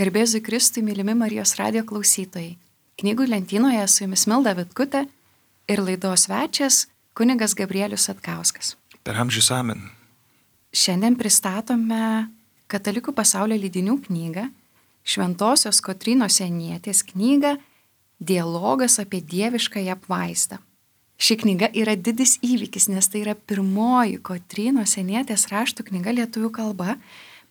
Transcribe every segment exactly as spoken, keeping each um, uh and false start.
Garbėzui Kristui, mylimi Marijos radijo klausytojai. Knygų lentynoje su jumis Milda Vitkutė ir laidos svečias kunigas Gabrielius Satkauskas. Per amžius amen. Šiandien pristatome Katalikų pasaulio leidinių knygą, Šventosios Kotrynos Sienietės knygą Dialogas apie dieviškąją apvaizdą. Ši knyga yra didis įvykis, nes tai yra pirmoji Kotrynos Sienietės raštų knyga lietuvių kalba.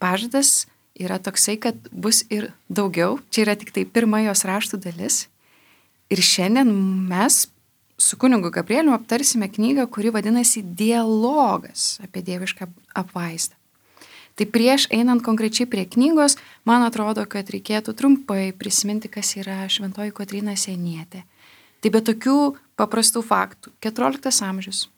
Pažadas yra toksai, kad bus ir daugiau. Čia yra tik tai pirma jos raštų dalis. Ir šiandien mes su kunigu Gabrieliu aptarsime knygą, kuri vadinasi Dialogas apie dievišką apvaizdą. Tai prieš einant konkrečiai prie knygos, man atrodo, kad reikėtų trumpai prisiminti, kas yra Šventoji Kotryna Sienietė. Tai be tokių paprastų faktų. keturioliktas amžius.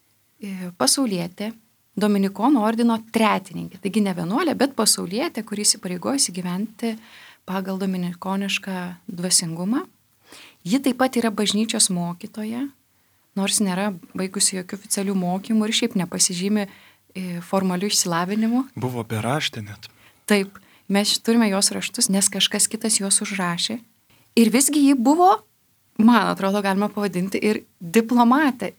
Pasaulietė, Dominikonų ordino tretininkė. Taigi ne vienuolė, bet pasaulietė, kuris įpareigojusi gyventi pagal dominikonišką dvasingumą. Ji taip pat yra bažnyčios mokytoja, nors nėra baigusi jokių oficialių mokymų ir šiaip nepasižymi formalių išsilavinimų. Buvo beraštė net. Taip, mes turime jos raštus, nes kažkas kitas juos užrašė. Ir visgi ji buvo, man atrodo, galima pavadinti ir diplomatė.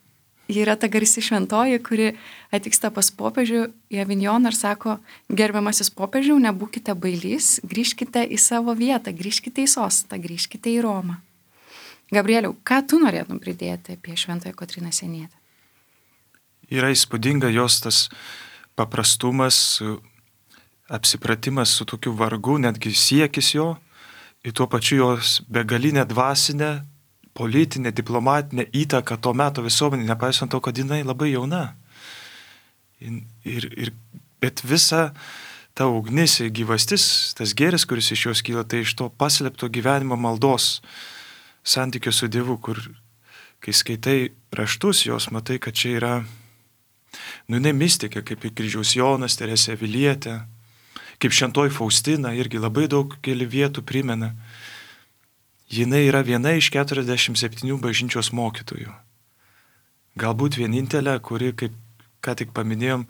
Ji yra ta garsi šventoji, kuri atvyksta pas popiežių į Avinjoną ir sako: gerbiamasis popiežiau, nebūkite bailys, grįžkite į savo vietą, grįžkite į sostą, grįžkite į Romą. Gabrieliau, ką tu norėtum pridėti apie Šventąją Kotryną Sienietę? Yra įspūdinga jos tas paprastumas, apsipratimas su tokiu vargu, netgi siekis jo, ir tuo pačiu jos begalinė dvasinė, politinė, diplomatinė įtaka to meto visuomenė, nepaisant to, kad jinai labai jauna. Ir, ir, bet visa ta ugnis ir gyvastis, tas gėris, kuris iš jos kyla, tai iš to paslėpto gyvenimo maldos santykio su Dievu, kur kai skaitai raštus jos, matai, kad čia yra, nu, jinai mistikė, kaip ir kryžiaus Jonas, Teresė Avilietė, kaip Šventoji Faustina, irgi labai daug keli vietų primena. Jinai yra viena iš keturiasdešimt septynių bažnyčios mokytojų. Galbūt vienintelė, kuri, kaip ką tik paminėjom,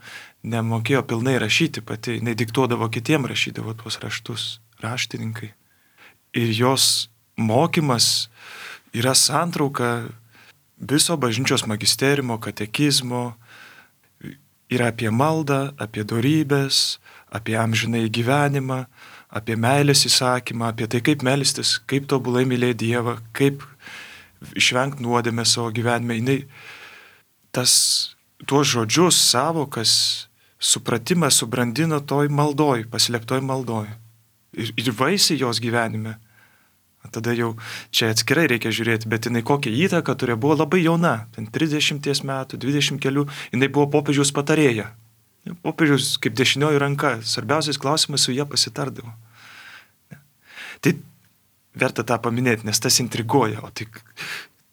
nemokėjo pilnai rašyti pati, jinai diktuodavo kitiem, rašydavo tuos raštus, raštininkai. Ir jos mokymas yra santrauka viso bažnyčios magisteriumo, katekizmo, yra apie maldą, apie dorybės, apie amžinai gyvenimą, apie meilės įsakymą, apie tai, kaip melstis, kaip tobulai mylėti Dievą, kaip išvengti nuodėmę savo gyvenime. Jinai tas, tuos žodžius, savokas, supratimą subrandino toj maldoj, paslėptoj maldoj. Ir, ir vaisiai jos gyvenime. Tada jau čia atskirai reikia žiūrėti, bet jinai kokią įtaką turėjo, buvo labai jauna, ten trisdešimties metų, dvidešimt kelių, jinai buvo popiežiaus patarėja. Popiežiaus kaip dešinioji ranka, svarbiausias klausimas su ją pasitardavo. Tai verta tą paminėti, nes tas intriguoja, o tai,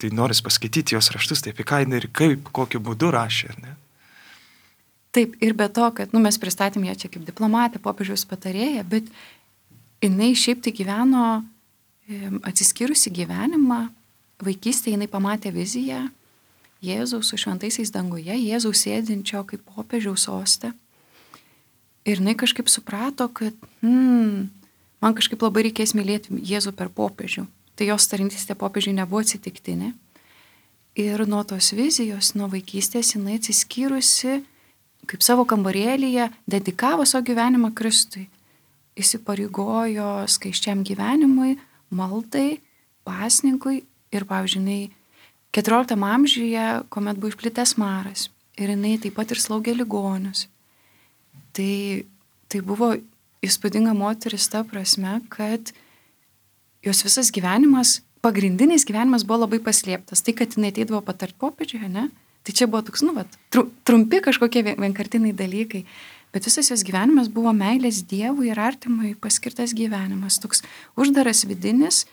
tai noris paskaityti jos raštus, tai apie ką jinai ir kaip, kokiu būdu rašė, ar ne? Taip, ir be to, kad nu, mes pristatėm ją čia kaip diplomatę, popiežiaus patarėją, bet jinai šiaip tai gyveno atsiskyrusi gyvenimą, vaikystėje jinai pamatė viziją Jėzaus su šventaisiais danguje, Jėzaus sėdinčio kaip popiežiaus soste. Ir jinai kažkaip suprato, kad hmm, man kažkaip labai reikės mylėti Jėzų per popiežių. Tai jos tarnystė popiežiui nebuvo atsitiktinė. Ir nuo tos vizijos, nuo vaikystės jinai atsiskyrusi kaip savo kambarėlyje, dedikavo savo gyvenimą Kristui. Įsipareigojo skaisčiam gyvenimui, maldai, pasninkui ir, pavyzdžiui, keturioliktam amžiuje, kuomet buvo išplitęs maras ir jinai taip pat ir slaugė ligonius. Tai, tai buvo įspūdinga moteris ta prasme, kad jos visas gyvenimas, pagrindinis gyvenimas buvo labai paslėptas. Tai, kad jinai ateidavo patart popiežiui, ne? Tai čia buvo toks, nu, vat, trumpi kažkokie vienkartiniai dalykai. Bet visas jos gyvenimas buvo meilės Dievui ir artimui paskirtas gyvenimas. Toks uždaras vidinis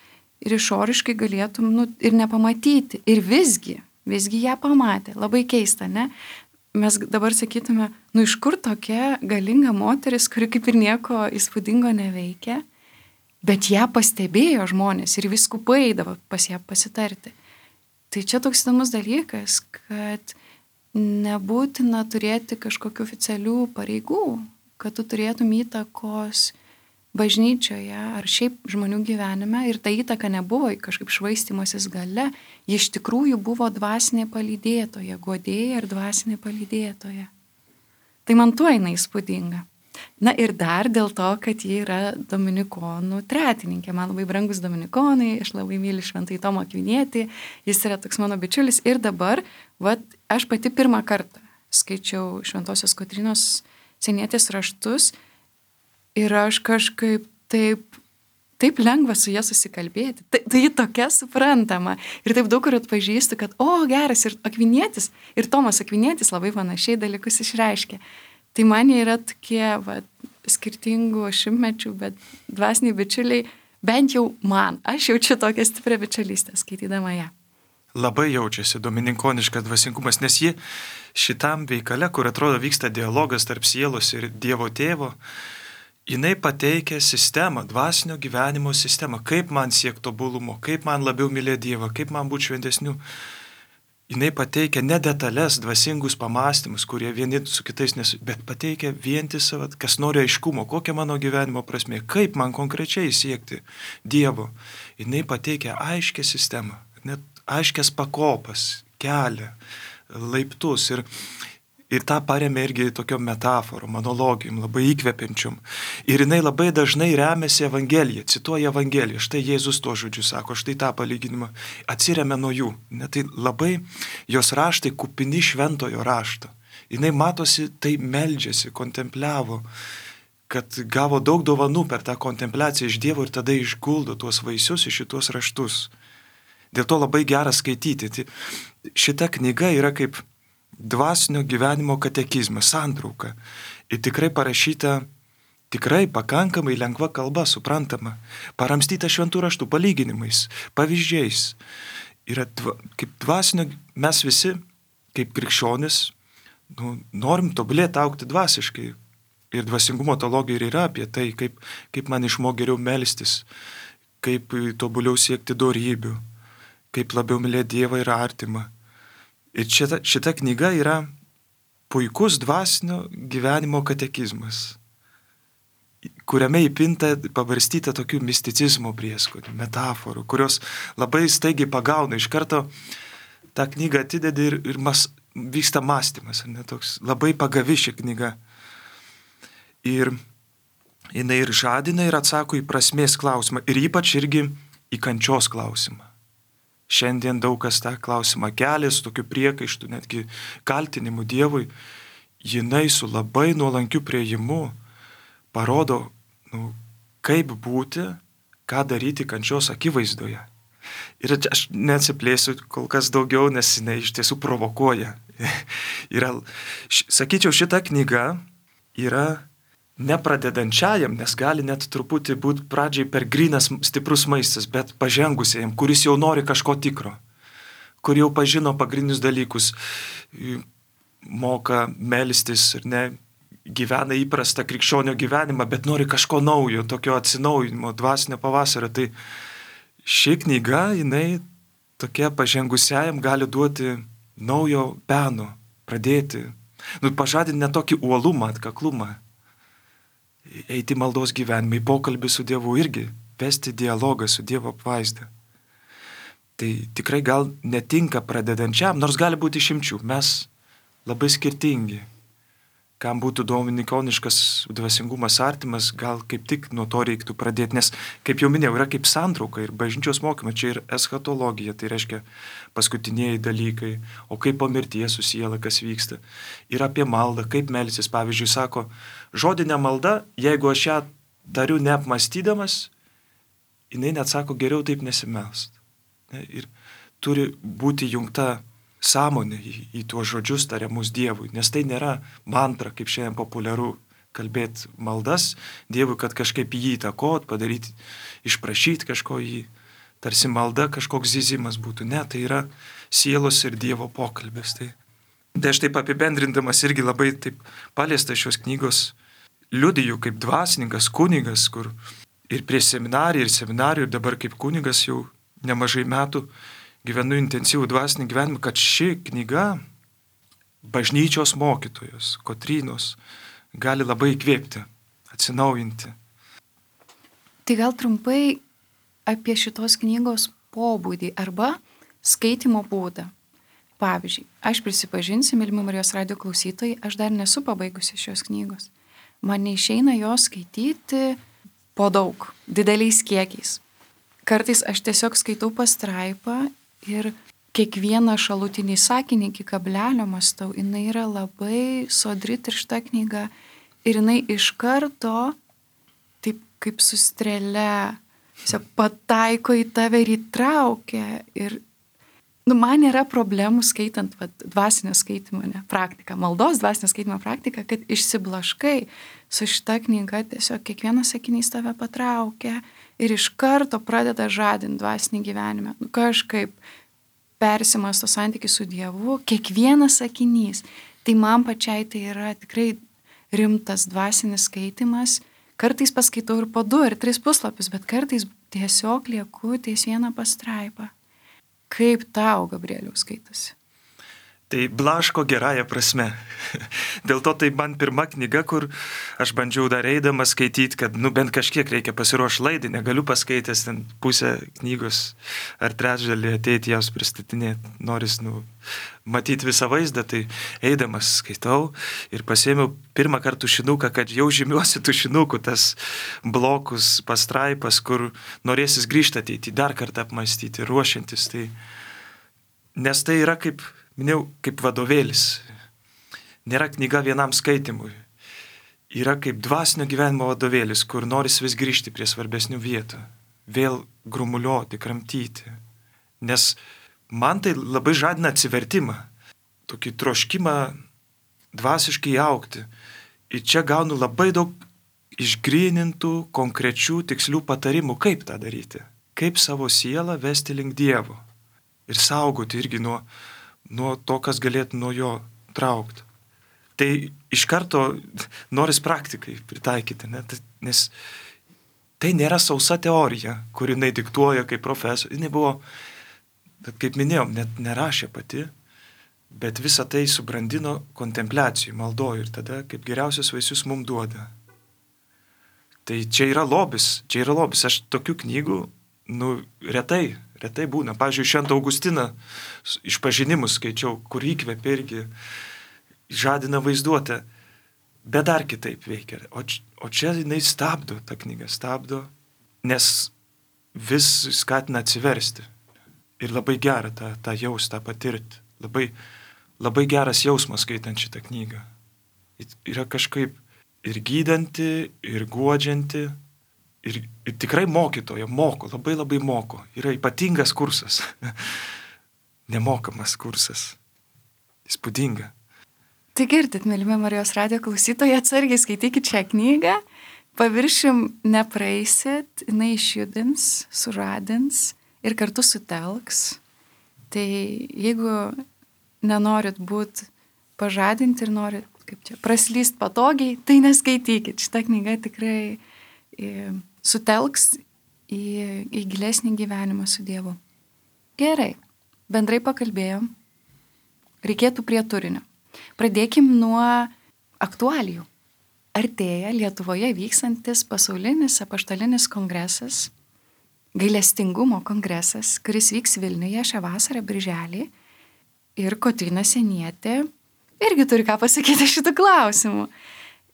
ir išoriškai galėtum nu, ir nepamatyti. Ir visgi, visgi ją pamatė. Labai keista, ne? Mes dabar sakytume, nu iš kur tokia galinga moteris, kuri kaip ir nieko įspūdingo neveikia, bet ją pastebėjo žmonės ir vyskupai eidavo pas ją pasitarti. Tai čia toks įdomus dalykas, kad nebūtina turėti kažkokių oficialių pareigų, kad tu turėtum įtakos bažnyčioje ar šiaip žmonių gyvenime ir ta įtaka nebuvo kažkaip švaistymasis gale, ji iš tikrųjų buvo dvasinė palydėtoja, guodėja ir dvasinė palydėtoja. Tai man tuo jinai įspūdinga. Na ir dar dėl to, kad ji yra dominikonų tretininkė. Man labai brangus dominikonai, aš labai myliu Šventąjį Tomą Akvinietį, jis yra toks mano bičiulis. Ir dabar, vat, aš pati pirmą kartą skaičiau Šventosios Kotrynos Sienietės raštus ir aš kažkaip taip, taip lengva su ja susikalbėti. Tai, tai ji tokia suprantama. Ir taip daug kur atpažįstu, kad, o, geras, ir Akvinietis, ir Tomas Akvinietis labai panašiai dalykus išreiškia. Tai man jie yra tokie va, skirtingų šimtmečių, bet dvasiniai bičiuliai, bent jau man, aš jaučiu tokią stiprią bičiulystę skaitydama ją. Labai jaučiasi domininkoniškas dvasingumas, nes ji šitam veikale, kur atrodo vyksta dialogas tarp sielos ir Dievo tėvo, jinai pateikia sistemą, dvasinio gyvenimo sistemą, kaip man siekti tobulumo, kaip man labiau mylėti Dievą, kaip man būti šventesniu. Jinai pateikia ne detalės, dvasingus pamastymus, kurie vieni su kitais nesu, bet pateikia vientisą, kas nori aiškumo, kokia mano gyvenimo prasmė, kaip man konkrečiai siekti Dievo. Jinai pateikia aiškę sistemą, net aiškias pakopas, kelią, laiptus ir, ir tą paremė irgi tokiom metaforom, monologijom, labai įkvepiančiom. Ir jinai labai dažnai remiasi Evangeliją, cituoja Evangeliją. Štai Jėzus tuo žodžiu sako, štai tą palyginimą atsiremia nuo jų. Net tai labai jos raštai kupini šventojo rašto. Jinai matosi, tai meldžiasi, kontempliavo, kad gavo daug dovanų per tą kontempliaciją iš Dievo ir tada išguldo tuos vaisius į šitos raštus. Dėl to labai gera skaityti. Šita knyga yra kaip dvasinio gyvenimo katekizmas, santrauka. Ir tikrai parašyta, tikrai pakankamai lengva kalba, suprantama. Paramstyta šventų raštų palyginimais, pavyzdžiais. Yra dva, kaip dvasinio, mes visi, kaip krikščionis, nu, norim tobulėti, augti dvasiškai. Ir dvasingumo teologija ir yra apie tai, kaip, kaip man išmok geriau melstis, kaip tobuliau siekti dorybių, kaip labiau mylėti Dievą ir artimą. Ir šita, šita knyga yra puikus dvasinio gyvenimo katekizmas, kuriame įpinta, pabarstyta tokių misticizmo prieskonių, metaforų, kurios labai staigiai pagauna. Iš karto tą knygą atidedi ir, ir mas, vyksta mąstymas, ne, toks labai pagavi ši knyga. Ir jinai ir žadina, ir atsako į prasmės klausimą, ir ypač irgi į kančios klausimą. Šiandien daug kas tą klausimą kelia, su tokiu priekaištu, netgi kaltinimu Dievui. Jinai su labai nuolankiu priėjimu parodo, nu, kaip būti, ką daryti kančios akivaizdoje. Ir aš neatsiplėsiu kol kas daugiau, nes jinai iš tiesų provokuoja. Yra, sakyčiau, šita knyga yra nepradedančiajam, nes gali net truputį būti pradžiai per grynas stiprus maistas, bet pažengusiajam, kuris jau nori kažko tikro, kur jau pažino pagrindinius dalykus, moka melstis ir ne, gyvena įprastą krikščionio gyvenimą, bet nori kažko naujo, tokio atsinaujinimo, dvasinio pavasario. Tai ši knyga, jinai tokia pažengusiajam gali duoti naujo peno, pradėti, nu, pažadinti net tokį uolumą, atkaklumą. Eiti maldos gyvenimą, į pokalbį su Dievu irgi, vesti dialogą su Dievo apvaizda. Tai tikrai gal netinka pradedančiam, nors gali būti išimčių. Mes labai skirtingi. Kam būtų dominikoniškas dvasingumas artimas, gal kaip tik nuo to reiktų pradėti, nes, kaip jau minėjau, yra kaip santrauka ir bažnyčios mokymas, čia ir eschatologija, tai reiškia paskutiniai dalykai, o kaip po mirties su siela, kas vyksta. Ir apie maldą, kaip melsis, pavyzdžiui, sako, žodinė malda, jeigu aš ją tariu neapmastydamas, jinai net sako, geriau taip nesimelst. Ir turi būti jungta sąmonė į, į tuos žodžius tariamus Dievui, nes tai nėra mantra, kaip šiandien populiaru kalbėti maldas Dievui, kad kažkaip jį įtakot, padaryti, išprašyti kažko jį, tarsi malda kažkoks zyzimas būtų. Ne, tai yra sielos ir Dievo pokalbės. Tai, tai aš taip apibendrindamas irgi labai taip paliesta šios knygos liudiju kaip dvasininkas, kunigas, kur ir prie seminarijų, ir seminarijų, ir dabar kaip kunigas jau nemažai metų gyvenu intensyvų dvasinį gyvenimą, kad ši knyga bažnyčios mokytojos, Kotrynos, gali labai įkvėpti, atsinaujinti. Tai gal trumpai apie šitos knygos pobūdį arba skaitimo būdą. Pavyzdžiui, aš prisipažinsiu, mylimi Marijos radijo klausytojai, aš dar nesu pabaigusi šios knygos. Man neišeina jos skaityti po daug, dideliais kiekiais. Kartais aš tiesiog skaitau pastraipą ir kiekvieną šalutinį sakinį iki kablelio mąstau. Jinai yra labai sodri tiršta knyga ir jinai iš karto, taip kaip su strėle, pataiko į tave ir įtraukia. Ir nu, man yra problemų skaitant vat, dvasinio skaitimo ne, praktiką, maldos dvasinio skaitimo praktiką, kad išsiblaškai su šita knyga, tiesiog kiekvienas sakinys tave patraukia ir iš karto pradeda žadinti dvasinį gyvenimą. Nu, kažkaip persimasto santykį su Dievu, kiekvienas sakinys. Tai man pačiai tai yra tikrai rimtas dvasinis skaitimas. Kartais paskaitau ir po du ar tris puslapius, bet kartais tiesiog lieku ties vieną pastraipą. Kaip tau, Gabrieliau, skaitosi? Tai blaško gerąją prasme. Dėl to tai man pirma knyga, kur aš bandžiau dar eidamas skaityti, kad nu, bent kažkiek reikia pasiruošti laidai, negaliu paskaitęs ten pusę knygos ar trečdalį ateiti jas pristatinėti. Noris nu, matyti visą vaizdą, tai eidamas skaitau ir pasėmiau pirmą kartą tušinuką, kad jau žymiuosi tušinuku tas blokus, pastraipas, kur norėsis grįžti ateiti, dar kartą apmastyti, ruošiantis. Tai, nes tai yra kaip minėjau, kaip vadovėlis. Nėra knyga vienam skaitimui. Yra kaip dvasinio gyvenimo vadovėlis, kur noris vis grįžti prie svarbesnių vietų. Vėl grumuliuoti, kramtyti. Nes man tai labai žadina atsivertimą. Tokį troškimą dvasiškai augti. Ir čia gaunu labai daug išgrynintų, konkrečių, tikslių patarimų, kaip tą daryti. Kaip savo sielą vesti link Dievo. Ir saugoti irgi nuo nuo to, kas galėtų nuo jo traukti. Tai iš karto noris praktikai pritaikyti, ne? Nes tai nėra sausa teorija, kuri jinai diktuoja kaip profesorius. Jinai buvo, kaip minėjom, net nerašė pati, bet visą tai subrandino kontempliacijų, maldoju ir tada kaip geriausius vaisius mums duoda. Tai čia yra lobis, čia yra lobis. Aš tokių knygų, nu, retai, retai būna. Pavyzdžiui, Šventą Augustiną išpažinimus skaičiau, kur įkvėpė irgi žadina vaizduotę, bet dar kitaip veikia. O, o čia jinai stabdo, ta knyga stabdo, nes vis skatina atsiversti. Ir labai gera tą, tą jaustą, tą patirti. Labai, labai geras jausmas skaitant šitą knygą. Yra kažkaip ir gydanti, ir guodžianti. Ir, ir tikrai mokytoja moko, labai labai moko. Yra ypatingas kursas. Nemokamas kursas. Įspūdinga. Tai girdit, mylimi Marijos radijo klausytojai, atsargiai skaitykit šią knygą. Paviršim nepraeisit, jinai išjudins, sužadins ir kartu sutelks. Tai jeigu nenorit būti pažadinti ir norit, kaip čia, praslyst patogiai, tai neskaitykit. Šita knyga tikrai sutelks į, į gilesnį gyvenimą su Dievu. Gerai, bendrai pakalbėjom. Reikėtų prie turinio. Pradėkim nuo aktualijų. Artėja Lietuvoje vykstantis pasaulinis apaštalinis kongresas, gailestingumo kongresas, kuris vyks Vilniuje šią vasarą birželį. Ir Kotryna Sienietė irgi turi ką pasakyti šitų klausimų.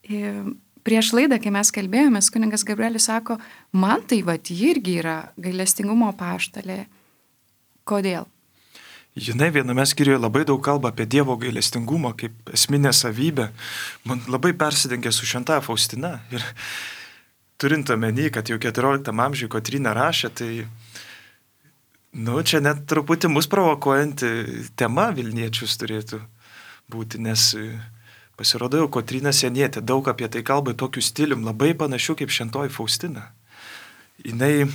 Ir prieš laidą, kai mes kalbėjomės, kunigas Gabrielis sako, man tai vat irgi yra gailestingumo apaštalė. Kodėl? Jinai viename skyriuje labai daug kalba apie Dievo gailestingumą kaip esminę savybę. Man labai persidengia su Šventaja Faustina. Ir turint omeny, kad jau keturioliktam amžiuje Kotryna rašė, tai nu, čia net truputį mus provokuojanti tema Vilniečius turėtų būti, nes pasirodo jau Kotryna Sienietė daug apie tai kalba tokiu stilium, labai panašiu kaip Šventoji Faustina. Jinai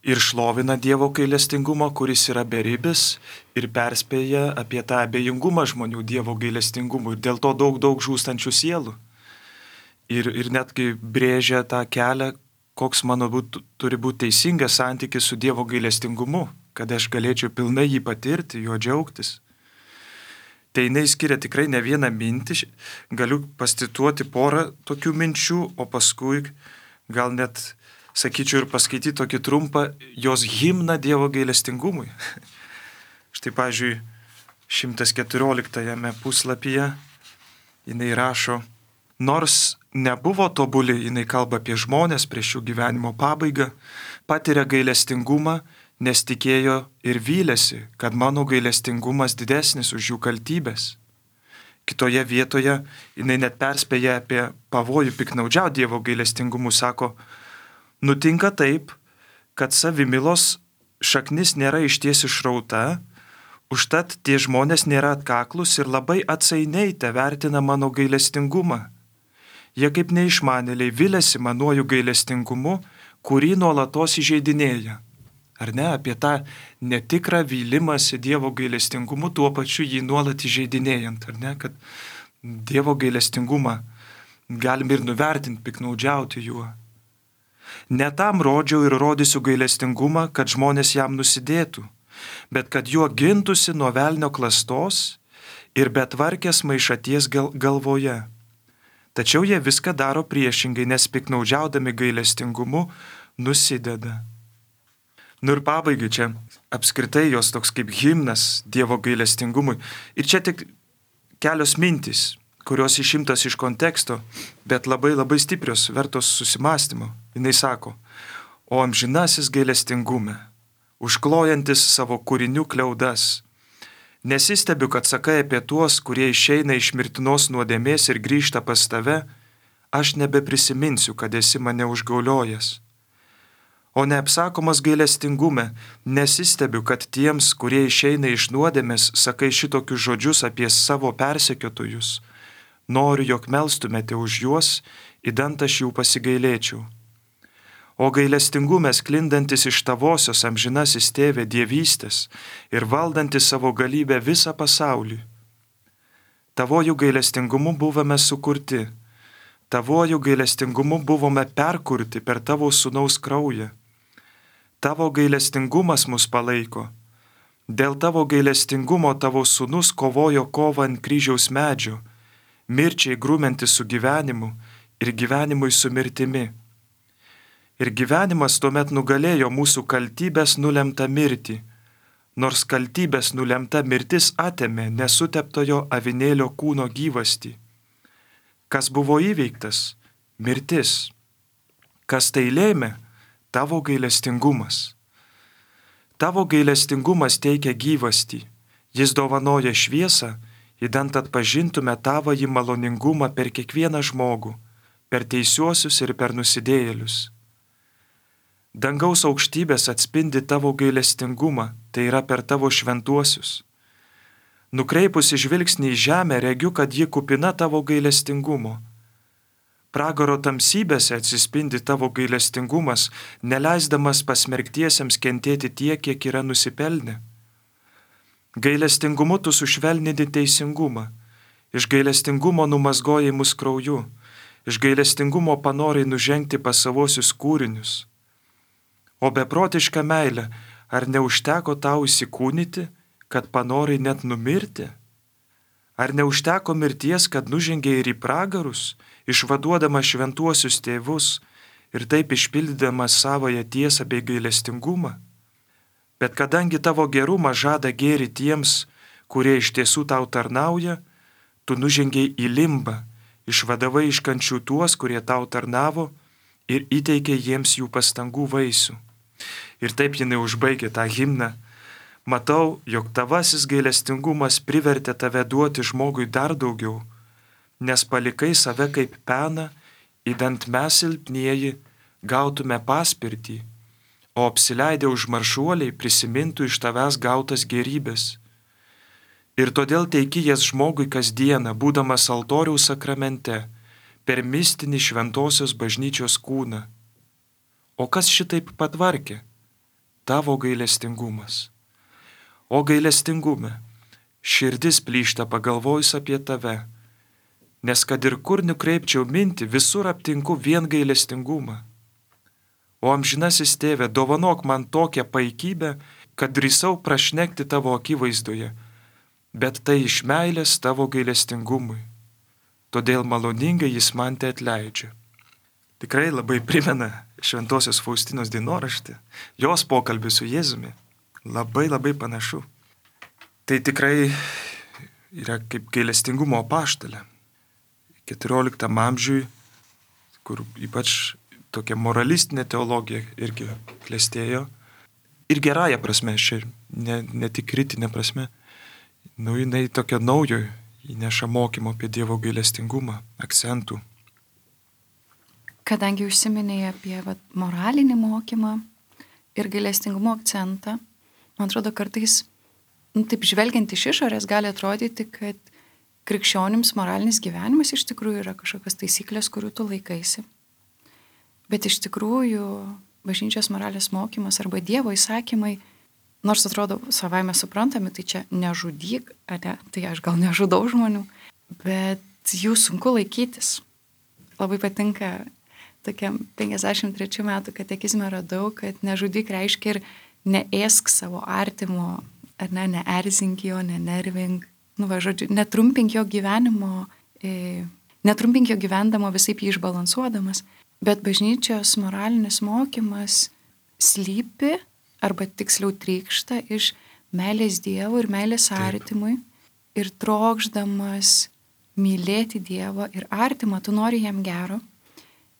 ir šlovina Dievo gailestingumą, kuris yra beribis, ir perspėja apie tą abejingumą žmonių Dievo gailestingumui ir dėl to daug, daug žūstančių sielų. Ir, ir netgi brėžia tą kelią, koks mano būt, turi būti teisingas santykis su Dievo gailestingumu, kad aš galėčiau pilnai jį patirti, juo džiaugtis. Tai jinai skiria tikrai ne vieną mintį, galiu pacituoti porą tokių minčių, o paskui gal net sakyčiau, ir paskaityti tokį trumpą jos himną Dievo gailestingumui. Štai, pavyzdžiui, šimtas keturioliktajame puslapyje jinai rašo, nors nebuvo tobuli, jinai kalba apie žmonės prieš jų gyvenimo pabaigą, patiria gailestingumą, nes tikėjo ir vylėsi, kad mano gailestingumas didesnis už jų kaltybės. Kitoje vietoje jinai net perspėja apie pavojų piknaudžiauti Dievo gailestingumu, sako, nutinka taip, kad savimilos šaknis nėra išties išrauta, užtat tie žmonės nėra atkaklus ir labai atsainiai te vertina mano gailestingumą. Jie kaip neišmanėliai vilėsi manuoju gailestingumu, kurį nuolatos įžeidinėja. Ar ne, apie tą netikrą vylimąsi Dievo gailestingumu, tuo pačiu jį nuolat įžeidinėjant, ar ne, kad Dievo gailestingumą galim ir nuvertinti, piknaudžiauti juo. Ne tam rodžiau ir rodysiu gailestingumą, kad žmonės jam nusidėtų, bet kad juo gintųsi nuo velnio klastos ir betvarkės maišaties gal- galvoje. Tačiau jie viską daro priešingai, nes piknaudžiaudami gailestingumu nusideda. Nu ir pabaigai čia apskritai jos toks kaip himnas Dievo gailestingumui. Ir čia tik kelios mintys, kurios išimtos iš konteksto, bet labai labai stiprios, vertos susimastymo. Jis sako, o amžinasis gailestingume, užklojantis savo kūrinių kliaudas, nesistebiu, kad sakai apie tuos, kurie išeina iš mirtinos nuodėmės ir grįžta pas tave, aš nebeprisiminsiu, kad esi mane užgauliojęs. O neapsakomas gailestingume, nesistebiu, kad tiems, kurie išeina iš nuodėmės, sakai šitokius žodžius apie savo persekiotojus. Noriu, jog melstumėte už juos, idant aš jų pasigailėčiau. O gailestingume sklindantis iš tavosios amžinasis tėvė dievystės ir valdantis savo galybę visą pasaulį. Tavojų gailestingumu buvome sukurti, tavojų gailestingumu buvome perkurti per tavo sūnaus kraują. Tavo gailestingumas mus palaiko. Dėl tavo gailestingumo tavo sūnus kovojo kovą ant kryžiaus medžio, mirčiai grūmentis su gyvenimu ir gyvenimui su mirtimi. Ir gyvenimas tuomet nugalėjo mūsų kaltybės nulemtą mirtį, nors kaltybės nulemta mirtis atėmė nesuteptojo avinėlio kūno gyvastį. Kas buvo įveiktas? Mirtis. Kas tai lėmė? Tavo gailestingumas. Tavo gailestingumas teikia gyvastį. Jis dovanoja šviesą, idant atpažintume tavąjį maloningumą per kiekvieną žmogų, per teisiuosius ir per nusidėjėlius. Dangaus aukštybės atspindi tavo gailestingumą, tai yra per tavo šventuosius. Nukreipusi žvilgsnį į žemę, regiu, kad ji kupina tavo gailestingumo. Pragaro tamsybėse atsispindi tavo gailestingumas, neleisdamas pasmerktiesiems kentėti tiek, kiek yra nusipelnę. Gailestingumu tu sušvelnini teisingumą, iš gailestingumo numazgojai mus krauju, iš gailestingumo panorai nužengti pas savosius kūrinius. O beprotiška meilė, ar neužteko tau įsikūnyti, kad panorai net numirti? Ar neužteko mirties, kad nužengė ir į pragarus, išvaduodama šventuosius tėvus ir taip išpildydama savąją tiesą bei gailestingumą? Bet kadangi tavo gerumą žada gėri tiems, kurie iš tiesų tau tarnauja, tu nužengiai į limbą, išvadavai iš kančių tuos, kurie tau tarnavo ir įteikė jiems jų pastangų vaisių. Ir taip jinai užbaigė tą himną. Matau, jog tavasis gailestingumas privertė tave duoti žmogui dar daugiau, nes palikai save kaip peną, idant mes silpnieji gautume paspirtį, o apsileidę užmaršuoliai prisimintų iš tavęs gautas gerybės. Ir todėl teiki jas žmogui kasdieną, būdamas altoriaus sakramente, per mistinį šventosios bažnyčios kūną. O kas šitaip patvarkė? Tavo gailestingumas. O gailestingume, širdis plyšta pagalvojus apie tave, nes kad ir kur nukreipčiau mintį, visur aptinku vien gailestingumą. O amžinasis tėve, dovanok man tokią paikybę, kad drįsau prašnekti tavo akivaizdoje, bet tai iš meilės tavo gailestingumui. Todėl maloningai jis man te atleidžia. Tikrai labai primena Šventosios Faustinos dienoraštį, jos pokalbį su Jėzumi. Labai labai panašu. Tai tikrai yra kaip gailestingumo apaštalė. keturioliktam amžiui, kur ypač tokia moralistinė teologija irgi klestėjo. Ir gerąją prasme, čia ne, ne tik kritinė prasme. Nu, jinai tokia naujo įneša mokymo apie Dievo gailestingumą, akcentų. Kadangi užsiminėjai apie vat, moralinį mokymą ir gailestingumo akcentą, man atrodo, kartais, nu, taip žvelgiant iš išorės, gali atrodyti, kad krikščionims moralinis gyvenimas iš tikrųjų yra kažkokios taisyklės, kurių tu laikaisi. Bet iš tikrųjų bažnyčios moralės mokymas arba Dievo įsakymai, nors atrodo savaime suprantami, tai čia nežudyk, ne, tai aš gal nežudau žmonių, bet jų sunku laikytis. Labai patinka, tokiam penkiasdešimt trečių metų katekizme radau, kad nežudyk reiškia ir neėsk savo artimo, ar ne, neerzink jo, nenervink, nu va, žodžiu, netrumpink jo gyvenimo, e, netrumpink jo gyvendamo visaip jį išbalansuodamas, bet bažnyčios moralinis mokymas slypi, arba tiksliau trykšta iš meilės Dievui ir meilės artimui ir trokšdamas mylėti Dievą ir artimą, tu nori jam gero.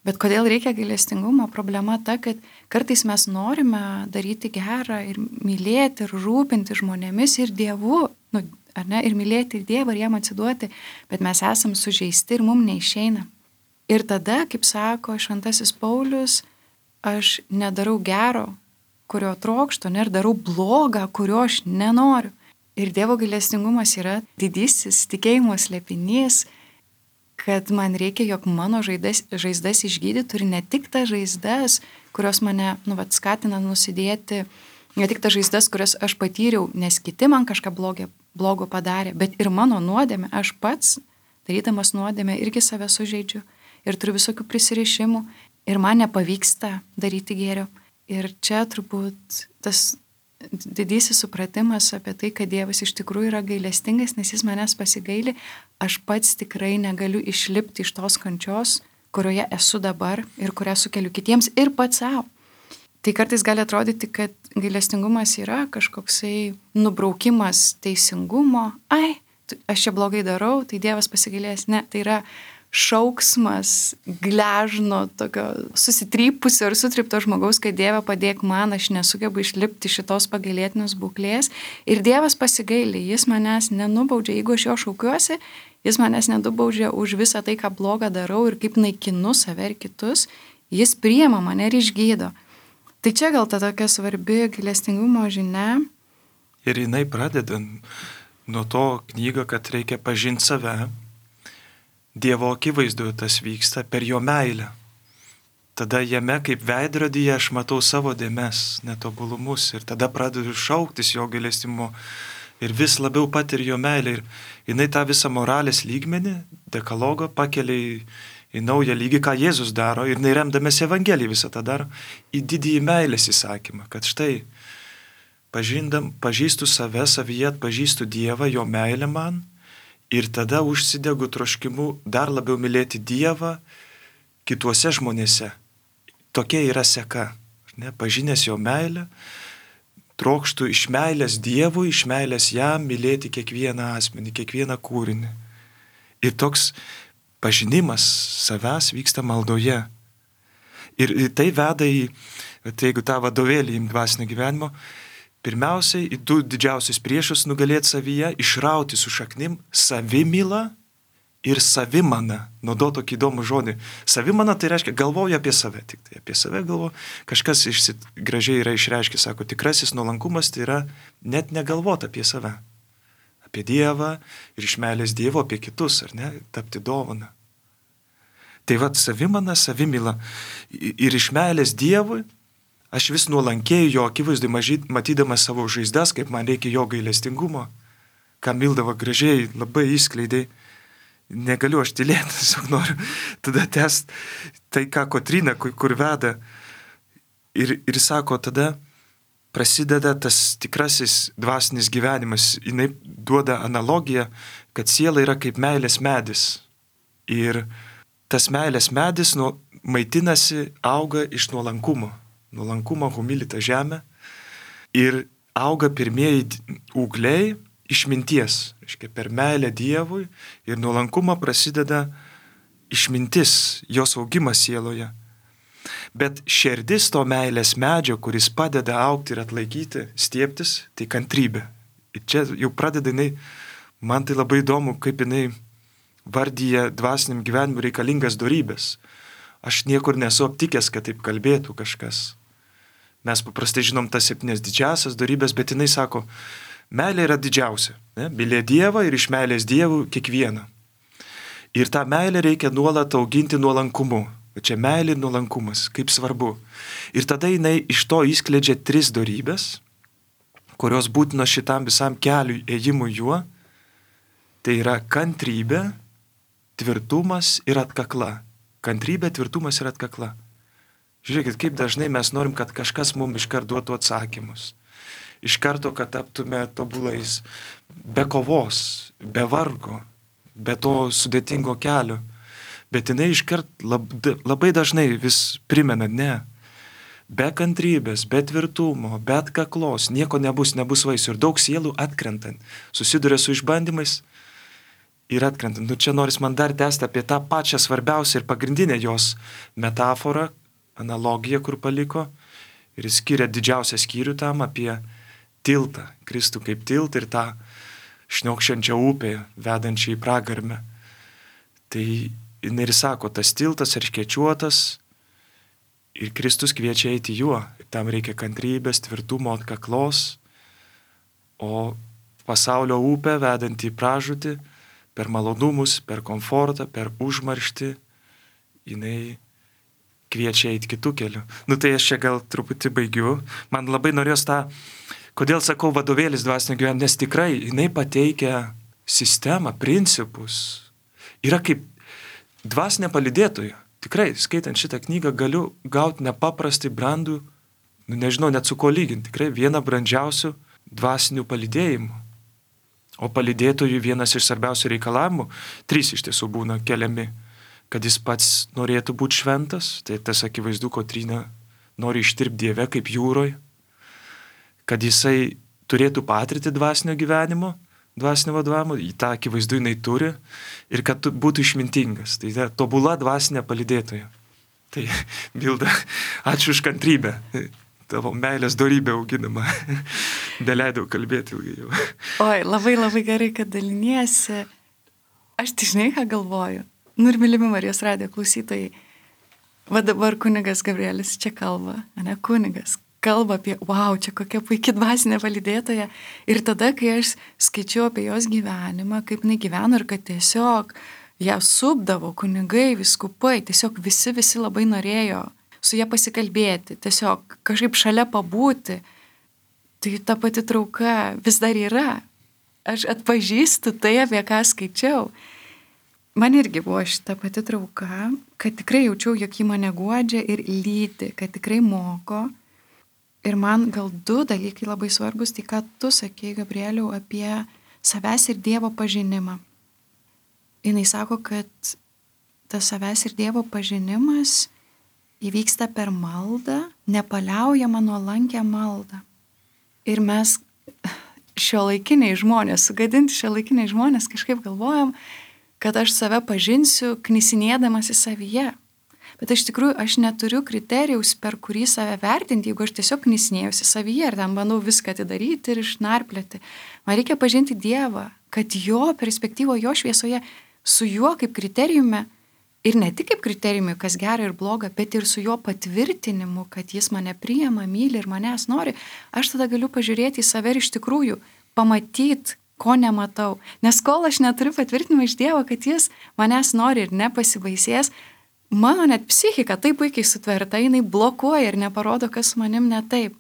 Bet kodėl reikia gailestingumo? Problema ta, kad kartais mes norime daryti gerą ir mylėti ir rūpinti žmonėmis ir Dievu, nu, ar ne, ir mylėti ir Dievą ir jam atsiduoti, bet mes esam sužeisti ir mums neišeina. Ir tada, kaip sako šventasis Paulius, aš nedarau gero, kurio trokštu, ne, ir darau blogą, kurio aš nenoriu. Ir Dievo gailestingumas yra didysis tikėjimo slėpinys, kad man reikia, jog mano žaizdas, žaizdas išgydytų ir ne tik tas žaizdas, kurios mane, nu, vat, skatina nusidėti, ne tik tas žaizdas, kurias aš patyriau, nes kiti man kažką blogio, blogo padarė, bet ir mano nuodėmė, aš pats, darydamas nuodėmę, irgi save sužeidžiu ir turiu visokių prisirišimų ir man nepavyksta daryti gėrio. Ir čia turbūt tas didysis supratimas apie tai, kad Dievas iš tikrųjų yra gailestingas, nes jis manęs pasigaili, aš pats tikrai negaliu išlipti iš tos kančios, kurioje esu dabar ir kurią sukeliu kitiems ir pats savo. Tai kartais gali atrodyti, kad gailestingumas yra kažkoksai nubraukimas teisingumo. Ai, aš čia blogai darau, tai Dievas pasigailės. Ne, tai yra šauksmas gležno, tokio susitrypusio ir sutripto žmogaus, kad Dieve padėk man, aš nesugebu išlipti šitos pagailėtinos būklės. Ir Dievas pasigaili, jis manęs nenubaudžia, jeigu aš jo šaukiuosi, jis manęs nenubaudžia už visą tai, ką blogą darau ir kaip naikinu save ir kitus, jis priima mane ir išgydo. Tai čia gal ta tokia svarbi gailestingumo žinia. Ir jinai pradeda nuo to knygą, kad reikia pažinti save. Dievo akivaizdoje tas vyksta per jo meilę. Tada jame kaip veidrodyje aš matau savo dėmes, netobulumus ir tada pradedu šauktis jo gailestingumo ir vis labiau patiriu jo meilę. Ir jinai tą visą moralės lygmenį, dekalogo pakelia į, į naują lygį, ką Jėzus daro ir neremdamės Evangeliją visą tą daro, į didįjį meilės įsakymą, kad štai pažindam, pažįstu save, savyje atpažįstu Dievą, jo meilę man. Ir tada užsidegu troškimu dar labiau mylėti Dievą kituose žmonėse. Tokia yra seka. Ne? Pažinęs jo meilę, trokštų iš meilės Dievui, iš meilės jam mylėti kiekvieną asmenį, kiekvieną kūrinį. Ir toks pažinimas savęs vyksta maldoje. Ir, ir tai veda į, tai jeigu tą vadovėlį į dvasinio gyvenimo, pirmiausiai, į du didžiausius priešus nugalėti savyje, išrauti su šaknim savimylą ir savimana. Naudo tokį įdomų žodį. Savimana tai reiškia galvoju apie save, tik tai apie save galvoju. Kažkas išsit, gražiai yra išreiškia, sako, tikrasis nuolankumas tai yra net negalvoti apie save. Apie Dievą ir iš meilės Dievo apie kitus, ar ne, tapti dovaną. Tai vat savimana, savimyla ir iš meilės Dievui aš vis nuolankėjau jo akivaizdai, matydamas savo žaizdas, kaip man reikia jo gailestingumo, ką Mildava gražiai labai išskleidė. Negaliu aš tylėti, tiesiog noriu tada tęsti tai, ką Kotryna, kur, kur veda. Ir, ir sako, tada prasideda tas tikrasis dvasinis gyvenimas. Jinai duoda analogiją, kad siela yra kaip meilės medis. Ir tas meilės medis nuo maitinasi, auga iš nuolankumo. Nuolankumo humilita žemė. Ir auga pirmieji ūgliai išminties. Reiškia, per meilę Dievui ir nuolankumą prasideda išmintis, jos augimas sieloje. Bet širdis to meilės medžio, kuris padeda augti ir atlaikyti, stiebtis, tai kantrybė. Ir čia jau pradeda jinai, man tai labai įdomu, kaip jinai vardyje dvasiniam gyvenimui reikalingas dorybės. Aš niekur nesu aptikęs, kad taip kalbėtų kažkas. Mes paprastai žinom tas septynias didžiasias dorybės, bet jinai sako, meilė yra didžiausia. Ne? Mylė Dievą ir iš meilės Dievų kiekvieną. Ir tą meilę reikia nuolat auginti nuolankumu. Čia meilė ir nuolankumas, kaip svarbu. Ir tada jinai iš to įskleidžia tris dorybės, kurios būtino šitam visam keliui ėjimui juo. Tai yra kantrybė, tvirtumas ir atkakla. Kantrybė, tvirtumas ir atkakla. Žiūrėkit, kaip dažnai mes norim, kad kažkas mums iškart duotų atsakymus. Iš karto, kad taptume tobulais, be kovos, be vargo, be to sudėtingo kelio. Bet jinai iškart lab, labai dažnai vis primena, ne, be kantrybės, be tvirtumo, be atkaklos, nieko nebus, nebus vaisių. Ir daug sielų atkrentant, susiduria su išbandymais ir atkrentant. Nu čia noris man dar tęsti apie tą pačią svarbiausią ir pagrindinę jos metaforą, analogiją, kur paliko. Ir jis skiria didžiausią skyrių tam apie tiltą, Kristų kaip tiltą ir tą šniokščiančią upę, vedančią į pragarmę. Tai jinai ir sako, tas tiltas erškėčiuotas ir Kristus kviečia eiti juo. Tam reikia kantrybės, tvirtumo, atkaklos, o pasaulio upė vedanti į pražūtį per malonumus, per komfortą, per užmarštį, jinai kviečia eiti kitų kelių. Nu tai aš čia gal truputį baigiu. Man labai norėjos tą, kodėl sakau vadovėlis dvasinio gyvenimo, nes tikrai jinai pateikia sistemą, principus. Yra kaip dvasinė palydėtoja. Tikrai, skaitant šitą knygą, galiu gauti nepaprastai brandų, nu nežinau net su ko lyginti, tikrai vieną brandžiausių dvasinių palydėjimų. O palydėtojų vienas iš svarbiausių reikalavimų, trys iš tiesų būna keliami, kad jis pats norėtų būti šventas, tai tas akivaizdu, Kotryna nori ištirpti Dieve kaip jūroje, kad jisai turėtų patirti dvasinio gyvenimo, dvasinio vadovavimo, į tą akivaizdu jinai turi, ir kad būtų išmintingas. Tai yra tobula dvasinė palydėtoja. Tai, Milda, ačiū už kantrybę. Tavo meilės dorybė auginama. Neleidau kalbėti ilgai jau. Oi, labai labai gerai, kad daliniesi. Aš tai žinai, ką galvoju. Nu ir mylimi Marijos radijo klausytojai. Va dabar kunigas Gabrielis čia kalba, ne kunigas. Kalba apie, wow, čia kokia puikia dvasinė palydėtoja. Ir tada, kai aš skaičiau apie jos gyvenimą, kaip jinai gyveno ir kad tiesiog ją supdavo kunigai, viskupai, tiesiog visi, visi labai norėjo su ją pasikalbėti, tiesiog kažkaip šalia pabūti. Tai ta pati trauka vis dar yra. Aš atpažįstu tai, apie ką skaičiau. Man irgi buvo šita pati trauka, kad tikrai jaučiau, jog ji mane guodžia ir lydi, kad tikrai moko. Ir man gal du dalykai labai svarbus, tai ką tu sakei, Gabrieliau, apie savęs ir Dievo pažinimą. Jis sako, kad tas savęs ir Dievo pažinimas įvyksta per maldą, nepaliaujamą nuolankę maldą. Ir mes šiuolaikiniai žmonės, sugadinti šiuolaikiniai žmonės kažkaip galvojam, kad aš save pažinsiu knisinėdamas į savyje. Bet iš tikrųjų aš neturiu kriterijaus, per kurį save vertinti, jeigu aš tiesiog knisinėjusi savyje ir tam bandau viską atidaryti ir išnarplėti. Man reikia pažinti Dievą, kad jo perspektyvo, jo šviesoje, su juo kaip kriterijumi, ir ne tik kaip kriterijumi, kas gera ir bloga, bet ir su jo patvirtinimu, kad jis mane priima, myli ir manęs nori, aš tada galiu pažiūrėti į save ir iš tikrųjų pamatyti, ko nematau. Nes kol aš neturiu patvirtinimo iš Dievo, kad jis manęs nori ir nepasibaisės, mano net psichika taip puikiai sutverta, jinai blokuoja ir neparodo, kas su manim ne taip.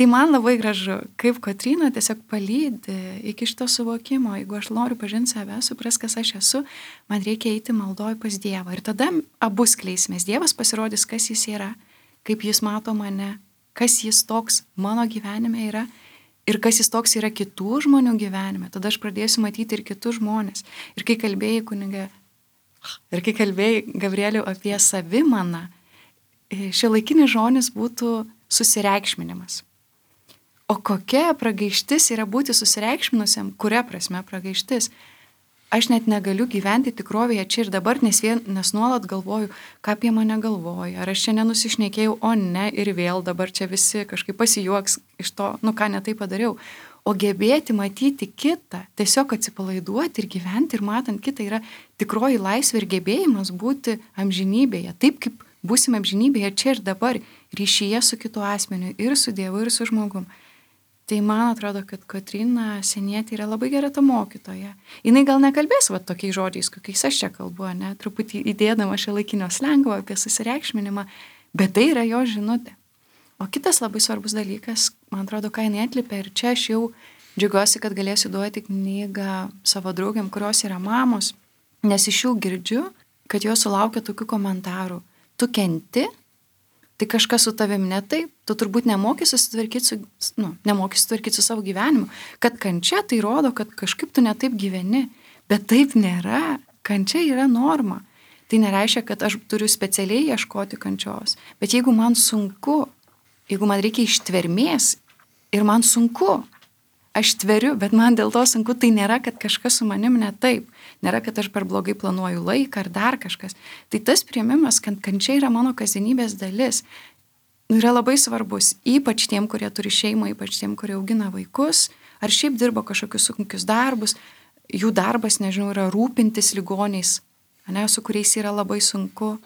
Tai man labai gražu, kaip Kotryna tiesiog palydi iki šito suvokimo. Jeigu aš noriu pažinti save, supras, kas aš esu, man reikia eiti maldoj pas Dievą. Ir tada abu skleisimės. Dievas pasirodys, kas jis yra, kaip jis mato mane, kas jis toks mano gyvenime yra ir kas jis toks yra kitų žmonių gyvenime. Tada aš pradėsiu matyti ir kitus žmonės. Ir kai kalbėjai, kuniga, ir kai kalbėjai, Gabrieliau, apie savimaną, šiuolaikinis žodis būtų susireikšminimas. O kokia pragaištis yra būti susireikšminusiam, kuria prasme pragaištis? Aš net negaliu gyventi tikrovėje čia ir dabar, nes, vien, nes nuolat galvoju, ką apie mane galvoja, ar aš čia nenusišnekėjau, o ne, ir vėl dabar čia visi kažkaip pasijuoks iš to, nu ką netai padariau. O gebėti matyti kitą, tiesiog atsipalaiduoti ir gyventi ir matant kitą yra tikroji laisvė ir gebėjimas būti amžinybėje, taip kaip būsime amžinybėje čia ir dabar, ryšyje su kitu asmeniu ir su Dievu ir su žmogum. Tai man atrodo, kad Kotryna Sienietė yra labai gera ta mokytoja. Jinai gal nekalbės va tokiais žodžiais, kokiais aš čia kalbu, ne, truputį įdėdama šiuolaikinio slengo apie susireikšminimą, bet tai yra jo žinutė. O kitas labai svarbus dalykas, man atrodo, ką jinai atlipė, ir čia aš jau džiaugiuosi, kad galėsiu duoti knygą savo draugiam, kurios yra mamos, nes iš jų girdžiu, kad jos sulaukia tokių komentarų. Tu kenti? Tai kažkas su tavim ne taip, tu turbūt nemoki susitvarkyti su, nu, nemoki susitvarkyti su savo gyvenimu. Kad kančia tai rodo, kad kažkaip tu ne taip gyveni, bet taip nėra. Kančia yra norma. Tai nereiškia, kad aš turiu specialiai ieškoti kančios. Bet jeigu man sunku, jeigu man reikia ištvermės ir man sunku, aš tveriu, bet man dėl to sunku, tai nėra, kad kažkas su manim ne taip. Nėra, kad aš per blogai planuoju laiką ar dar kažkas. Tai tas priėmimas, kad kančia yra mano kasdienybės dalis, yra labai svarbus, ypač tiem, kurie turi šeimą, ypač tiem, kurie augina vaikus, ar šiaip dirba kažkokius sunkius darbus. Jų darbas, nežinau, yra rūpintis ligoniais, ne, su kuriais yra labai sunku.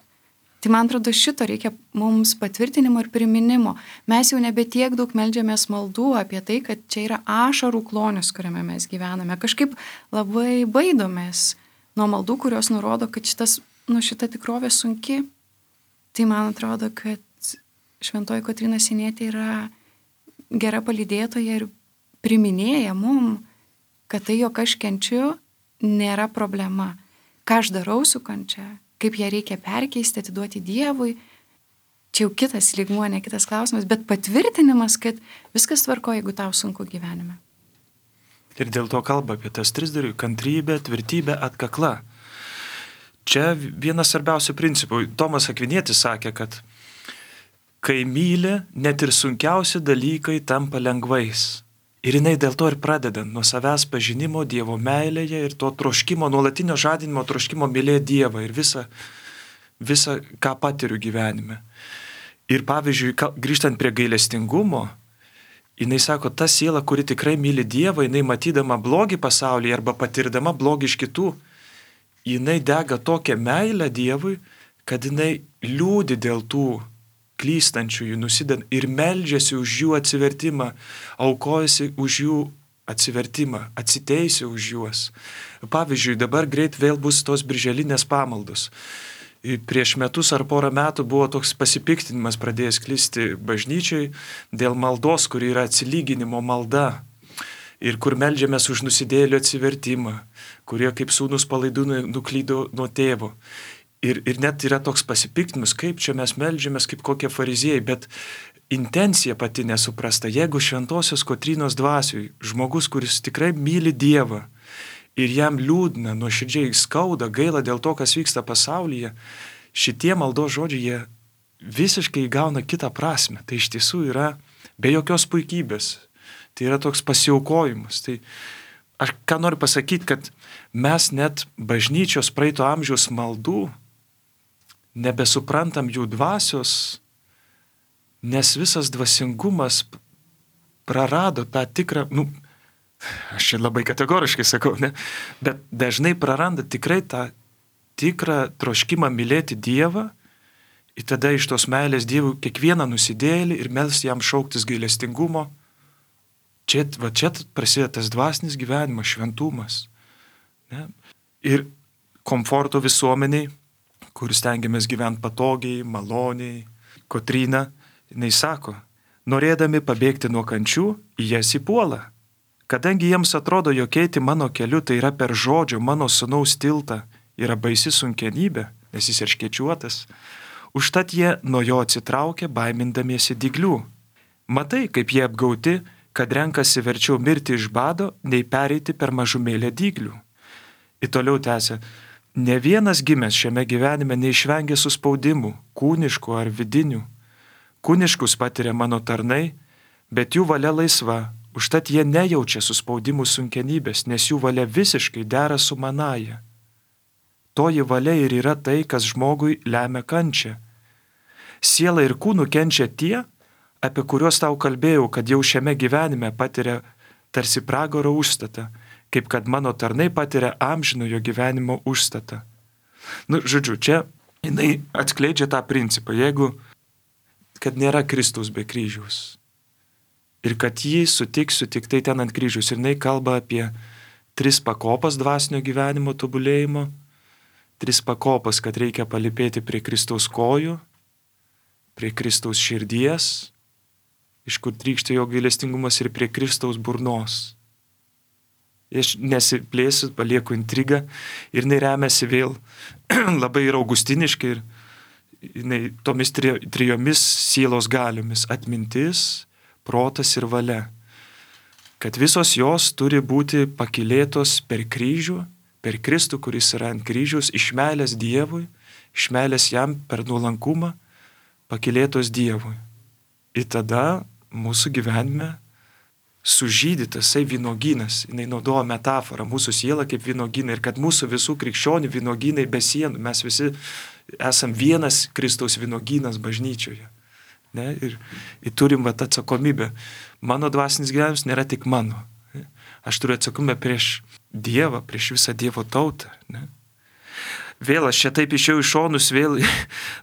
Tai man atrodo, šito reikia mums patvirtinimo ir priminimo. Mes jau nebe tiek daug meldžiamės maldų apie tai, kad čia yra ašarų klonis, kuriame mes gyvename. Kažkaip labai baidomės nuo maldų, kurios nurodo, kad šitas, nu, šita tikrovė sunki. Tai man atrodo, kad šventoji Kotryna Sienietė yra gera palydėtoja ir priminėja mum, kad tai, jog aš kenčiu, nėra problema. Ką aš darau su kančia, kaip ją reikia perkeisti, atiduoti Dievui. Čia jau kitas lygmuo, ne kitas klausimas, bet patvirtinimas, kad viskas tvarko, jeigu tau sunku gyvenime. Ir dėl to kalba apie tas tris dalykus: kantrybė, tvirtybė, atkakla. Čia vienas svarbiausių principų. Tomas Akvinietis sakė, kad kai myli, net ir sunkiausi dalykai tampa lengvais. Ir jinai dėl to ir pradeda nuo savęs pažinimo Dievo meilėje ir to troškimo, nuolatinio žadinimo troškimo mylėti Dievą ir visą, visą, ką patiriu gyvenime. Ir pavyzdžiui, grįžtant prie gailestingumo, jinai sako, ta siela, kuri tikrai myli Dievą, jinai matydama blogį pasaulyje arba patirdama blogį iš kitų, jinai dega tokią meilę Dievui, kad jinai liūdi dėl tų klystančiųjų, nusideda ir meldžiasi už jų atsivertimą, aukojasi už jų atsivertimą, atsiteisia už juos. Pavyzdžiui, dabar greit vėl bus tos birželinės pamaldos. Prieš metus ar porą metų buvo toks pasipiktinimas pradėjęs klisti bažnyčiai dėl maldos, kuri yra atsilyginimo malda ir kur meldžiamės už nusidėjėlių atsivertimą, kurie kaip sūnus palaidūnai nuklydo nuo tėvo. Ir, ir net yra toks pasipiktinimas, kaip čia mes meldžiamės kaip kokie fariziejai, bet intencija pati nesuprasta. Jeigu šventosios Kotrynos dvasiui žmogus, kuris tikrai myli Dievą ir jam liūdna, nuoširdžiai skauda, gaila dėl to, kas vyksta pasaulyje, šitie maldos žodžiai jie visiškai įgauna kitą prasme. Tai iš tiesų yra be jokios puikybės. Tai yra toks pasiaukojimas. Tai aš ką noriu pasakyti, kad mes net bažnyčios praeito amžiaus maldų nebesuprantam jų dvasios, nes visas dvasingumas prarado tą tikrą, nu, aš čia labai kategoriškai sakau, ne, bet dažnai praranda tikrai tą tikrą troškimą mylėti Dievą ir tada iš tos meilės Dievui kiekvieną nusidėjėlį ir melsti jam šauktis gailestingumo. Čia, va, čia prasideda tas dvasinis gyvenimas, šventumas. Ne? Ir komforto visuomeniai, kur stengiamės gyventi patogiai, maloniai. Kotryna, jinai sako, norėdami pabėgti nuo kančių, į jas įpuola. Kadangi jiems atrodo, jog eiti mano keliu, tai yra per žodžio mano sūnaus tiltą, yra baisi sunkienybė, nes jis erškėčiuotas, užtat jie nuo jo atsitraukia, baimindamiesi dyglių. Matai, kaip jie apgauti, kad renkasi verčiau mirti iš bado, nei pereiti per mažumėlę dyglių. Ir toliau tęsia, Ne vienas gimęs šiame gyvenime neišvengia suspaudimų, kūniškų ar vidinių. Kūniškus patiria mano tarnai, bet jų valia laisva, užtat jie nejaučia suspaudimų sunkenybės, nes jų valia visiškai dera su manaja. Toji valia ir yra tai, kas žmogui lemia kančią. Siela ir kūnu kenčia tie, apie kuriuos tau kalbėjau, kad jau šiame gyvenime patiria tarsi pragaro užstatą, kaip kad mano tarnai patiria amžinojo gyvenimo užstatą. Nu, žodžiu, čia jinai atskleidžia tą principą, jeigu, kad nėra Kristaus be kryžiaus. Ir kad jį sutiksiu tik tai ten ant kryžiaus. Ir jinai kalba apie tris pakopas dvasinio gyvenimo tobulėjimo, tris pakopas, kad reikia palipėti prie Kristaus kojų, prie Kristaus širdies, iš kur trykšta jo gailestingumas, ir prie Kristaus burnos. Aš nesiplėsiu, palieku intrigą ir jinai remiasi vėl labai ir augustiniškai ir jinai tomis tri, trijomis sielos galiomis - atmintis, protas ir valia. Kad visos jos turi būti pakylėtos per kryžių, per Kristų, kuris yra ant kryžiaus, iš meilės Dievui, iš meilės jam per nuolankumą, pakylėtos Dievui. Ir tada mūsų gyvenime sužydytas tai vynogynas, jinai naudoja metaforą, mūsų siela kaip vynogyna ir kad mūsų visų krikščionių vynogynai be sienų, mes visi esam vienas Kristaus vynogynas bažnyčioje. Ne? Ir, ir turim vat atsakomybę. Mano dvasinis gyvenimas nėra tik mano. Ne? Aš turiu atsakomybę prieš Dievą, prieš visą Dievo tautą. Ne? Vėl aš čia taip išėjau iš šonus, vėl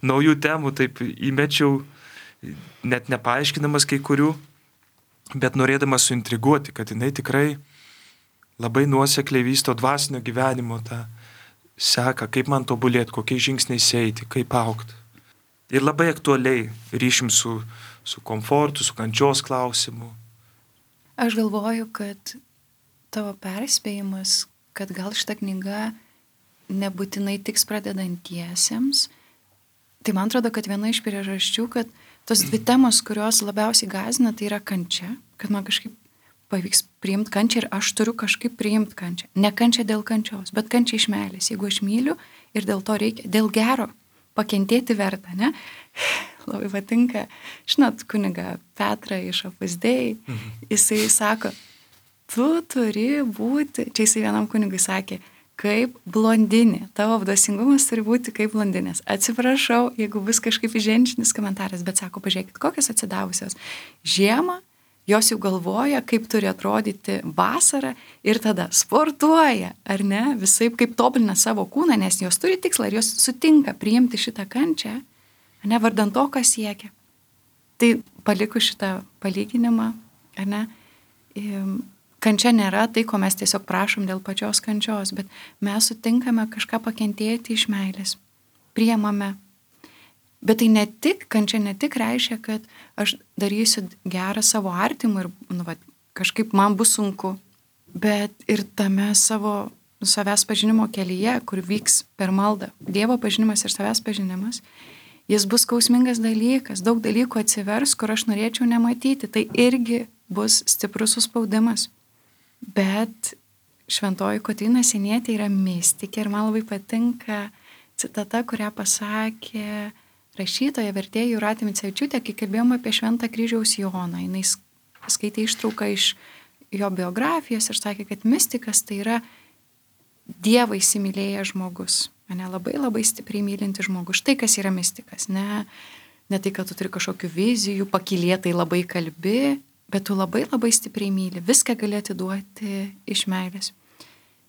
naujų temų taip įmečiau, net nepaaiškinamas kai kurių, bet norėdamas suintriguoti, kad jinai tikrai labai nuosekliai vysto dvasinio gyvenimo tą seką, kaip man tobulėti, kokiais žingsniais eiti, kaip augti. Ir labai aktualiai ryšim su, su komfortu, su kančios klausimu. Aš galvoju, kad tavo perspėjimas, kad gal šita knyga nebūtinai tiks pradedantiesiems, tai man atrodo, kad viena iš priežasčių, kad tos dvi temos, kurios labiausiai gąsdina, tai yra kančia, kad man kažkaip pavyks priimti kančią ir aš turiu kažkaip priimti kančią. Ne kančia dėl kančios, bet kančia iš meilės. Jeigu aš myliu ir dėl to reikia, dėl gero, pakentėti verta, ne? Labai patinka, žinot, kuniga Petrą iš Opus Dei, mhm. Jisai sako, tu turi būti, čia jisai vienam kunigui sakė, kaip blondinė, tavo dvasingumas turi būti kaip blondinės. Atsiprašau, jeigu bus kažkaip įženčinis komentaras, bet sako, pažiūrėkit, kokios atsidavusios. Žiemą jos jau galvoja, kaip turi atrodyti vasara ir tada sportuoja, ar ne, visaip kaip tobulina savo kūną, nes jos turi tikslą ir jos sutinka priimti šitą kančią, ne vardant to, ką siekia. Tai paliku šitą palyginimą, ar ne, kančia nėra tai, ko mes tiesiog prašom dėl pačios kančios, bet mes sutinkame kažką pakentėti iš meilės, priemame. Bet tai ne tik, kančia ne tik reiškia, kad aš darysiu gerą savo artimui ir nu, va, kažkaip man bus sunku, bet ir tame savo savęs pažinimo kelyje, kur vyks per maldą, Dievo pažinimas ir savęs pažinimas, jis bus skausmingas dalykas, daug dalykų atsivers, kur aš norėčiau nematyti, tai irgi bus stiprus suspaudimas. Bet šventoji Kotryna Sienietė yra mistikė ir man labai patinka citata, kurią pasakė rašytoja, vertėja Jūratė Micevičiūtė, kai kalbėjome apie Šventą Kryžiaus Joną. Jis skaitė ištrauką iš jo biografijos ir sakė, kad mistikas tai yra Dievą įsimylėjęs žmogus. Ne, labai labai stipriai mylinti žmogus. Štai kas yra mistikas. Ne, ne tai, kad tu turi kažkokių vizijų, pakylėtai labai kalbi, bet tu labai labai stipriai myli. Viską gali atiduoti iš meilės.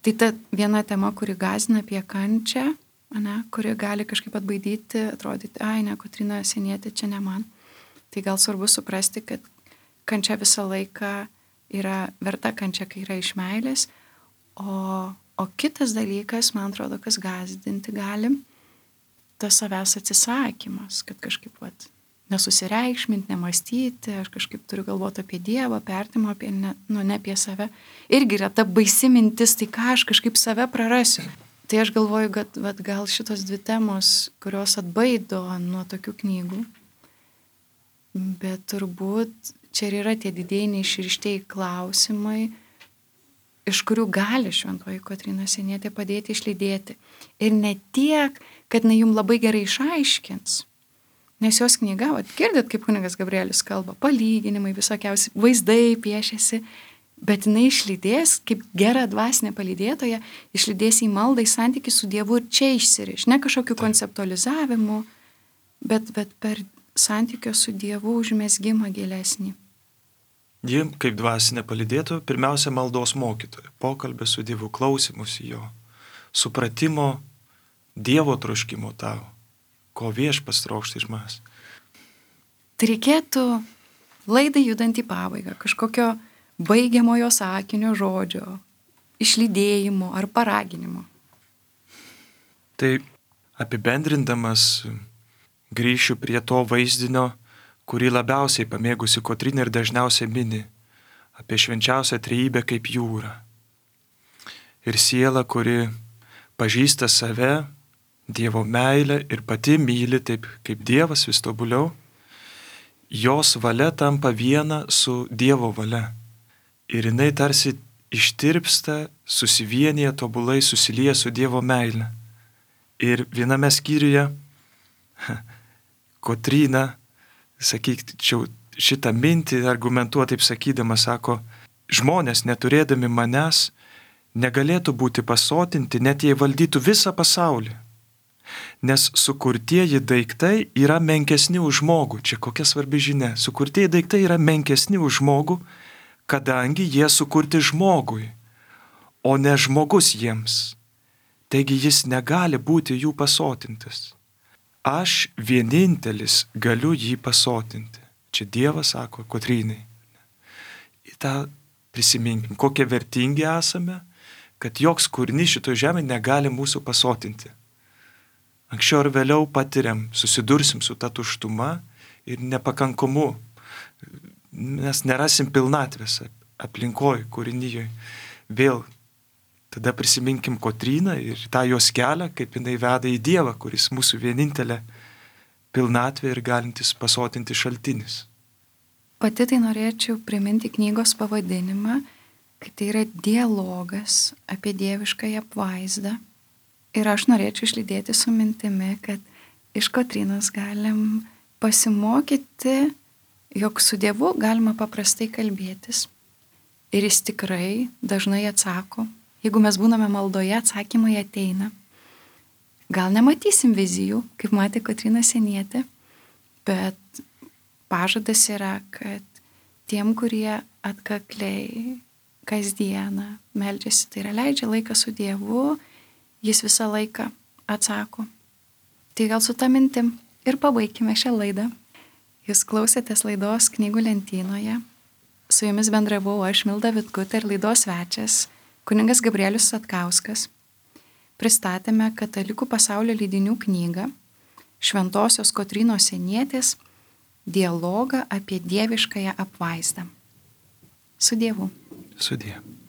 Tai ta viena tema, kuri gąsdina apie kančią, ne, kuri gali kažkaip atbaidyti, atrodyti, ai ne, Kotryna Sienietė, čia ne man. Tai gal svarbu suprasti, kad kančia visą laiką yra verta kančia, kai yra iš meilės, o, o kitas dalykas, man atrodo, kas gąsdinti gali, tas savęs atsisakymas, kad kažkaip vat, nesusireikšminti, nemastyti, aš kažkaip turiu galvoti apie Dievą, apie artimą, apie ne, nu, ne apie save. Irgi yra ta baisi mintis, tai ką aš kažkaip save prarasiu. Tai aš galvoju, kad vat, gal šitos dvi temos, kurios atbaido nuo tokių knygų, bet turbūt čia ir yra tie didieji neišrištieji klausimai, iš kurių gali šventoji Kotryna Sienietė padėti išlydėti. Ir ne tiek, kad jinai jums labai gerai išaiškins. Nes jos knyga, vat, girdit, kaip kunigas Gabrielius kalba, palyginimai, visokiausi vaizdai piešiasi, bet jinai išlydės, kaip gera dvasinė palydėtoja, išlydės į maldą, į santykį su Dievu ir čia išsiriš. Ne kažkokiu konceptualizavimu, bet, bet per santykio su Dievu užmesgimą gilesnį. Ji, kaip dvasinė palydėtoja, pirmiausia maldos mokytoja, pokalbė su Dievu, klausimus jo, supratimo Dievo troškimo tavo, ko Viešpats trokšta iš manęs. Tai reikėtų laidai judant į pabaigą, kažkokio baigiamojo sakinio žodžio, išlydėjimo ar paraginimo. Tai apibendrindamas grįšiu prie to vaizdinio, kurį labiausiai pamėgusi Kotryna ir dažniausiai mini, apie švenčiausią trejybę kaip jūrą. Ir siela, kuri pažįsta save, Dievo meilę ir pati myli taip kaip Dievas vis tobuliau, jos valia tampa viena su Dievo valia. Ir jinai tarsi ištirpsta, susivienyje, tobulai susilieja su Dievo meile. Ir viename skyriuje Kotryna, sakyčiau, šitą mintį argumentuoja taip sakydama, sako, žmonės neturėdami manęs negalėtų būti pasotinti, net jei valdytų visą pasaulį. Nes sukurtieji daiktai yra menkesni už žmogų. Čia kokia svarbi žinia. Sukurtieji daiktai yra menkesni už žmogų, kadangi jie sukurti žmogui, o ne žmogus jiems. Taigi jis negali būti jų pasotintas. Aš vienintelis galiu jį pasotinti. Čia Dievas sako Kotrynai. Į tą prisiminkim, kokie vertingi esame, kad joks kūrinys šito žemė negali mūsų pasotinti. Anksčiau ar vėliau patiriam, susidursim su ta tuštuma ir nepakankumu. Mes nerasim pilnatvės aplinkoj, kūrinyje. Vėl tada prisiminkim Kotryną ir tą jos kelią, kaip jinai veda į Dievą, kuris mūsų vienintelė pilnatvė ir galintis pasotinti šaltinis. Pati tai norėčiau priminti knygos pavadinimą, kad tai yra dialogas apie dieviškąją apvaizdą. Ir aš norėčiau išlydėti su mintimi, kad iš Kotrynos galim pasimokyti, jog su Dievu galima paprastai kalbėtis. Ir jis tikrai dažnai atsako. Jeigu mes būname maldoje, atsakymai ateina. Gal nematysim vizijų, kaip matė Kotryna Sienietė, bet pažadas yra, kad tiem, kurie atkakliai kasdieną meldžiasi, tai yra leidžia laiką su Dievu, jis visą laiką atsako. Tai gal su ta mintim ir pabaikime šią laidą. Jūs klausėtės laidos Knygų lentynoje. Su jumis bendravau aš, Milda Vitkutė, ir laidos svečias, kunigas Gabrielius Satkauskas. Pristatėme Katalikų pasaulio leidinių knygą Šventosios Kotrynos Sienietės dialogą apie dieviškąją apvaizdą. Su Dievu. Su Dievu.